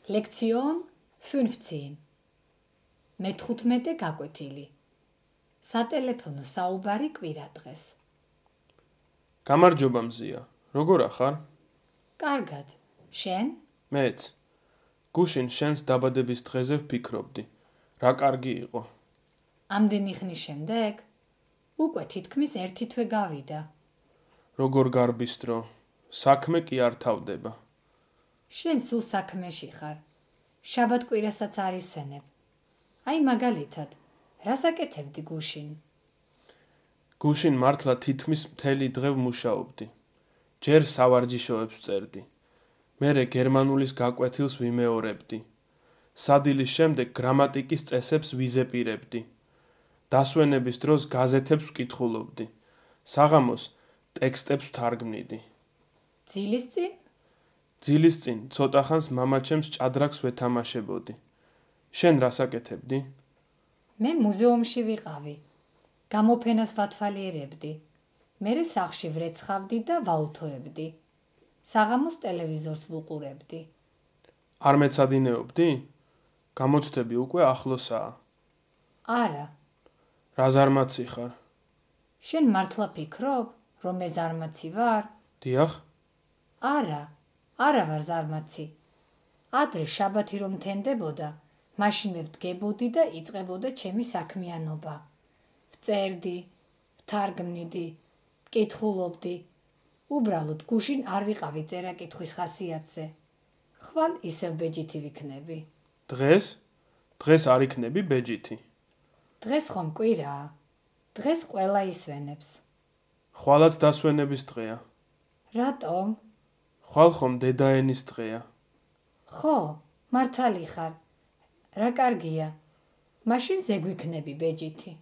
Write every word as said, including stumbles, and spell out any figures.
Lektion fünfzehn. მეთხუთმეტე გაკვეთილი. სატელეფონო საუბარი კვირა დღეს. გამარჯობა მზია. როგორ ახარ? კარგად. შენ? მეც. გუშინ შენს დაბადების დღეზე ვფიქრობდი. რა კარგი იყო. ამდენი ხნის შემდეგ? უკვე თითქმის ერთი თვე გავიდა. როგორ გარბისტრო. საქმე კი არ თავდება. შენ სულ საქმეში ხარ. შაბათ-კვირასაც არ ისვენებ. აი მაგალითად, რას აკეთებდი გუშინ? გუშინ მართლა თითქმის მთელი დღე ვმუშაობდი. ჯერ სავარჯიშოებს ვწერდი. მერე გერმანულის გაკვეთილს ვიმეორებდი. სადილის შემდეგ გრამატიკის წესებს ვიზეპირებდი. დასვენების დროს გაზეთებს ვკითხულობდი. საღამოს ტექსტებს ვთარგმნიდი. ძილის წინ? ძილის წინ ცოტა ხანს მამაჩემს ჭადრაკს ვეთამაშებოდი. შენ რას აკეთებდი? მე მუზეუმში ვიყავი. გამოფენას ვათვალიერებდი. მერე სახლში ვრეცხავდი და ვაუთოებდი. საღამოს ტელევიზორს ვუყურებდი. არ მეცადინეობდი? გამოცდები უკვე ახლოსაა. არა. რა ზარმაცი ხარ? შენ მართლა ფიქრობ, რომ მე ზარმაცი ვარ? დიახ. არა, არა ვარ ზარმაცი. ადრე შაბათი რომ თენდებოდა, მაშინ მე ვდგებოდი და იწყებოდა ჩემი საქმიანობა. ვწერდი, ვთარგმნიდი, ვკითხულობდი. უბრალოდ გუშინ არ ვიყავი წერა-კითხვის ხასიათზე. ხვალ ისევ ბეჯითი ვიქნები. დღეს? დღეს არ იქნები ბეჯითი. დღეს ხომ კვირაა. დღეს ყველა ისვენებს. ხვალაც დასვენების დღეა. რატომ? ხვალ ხომ დედაენის დღეა. ხო, მართალი ხარ. რა კარგია. მაშინ ზეგვიქნები ბეჯითი.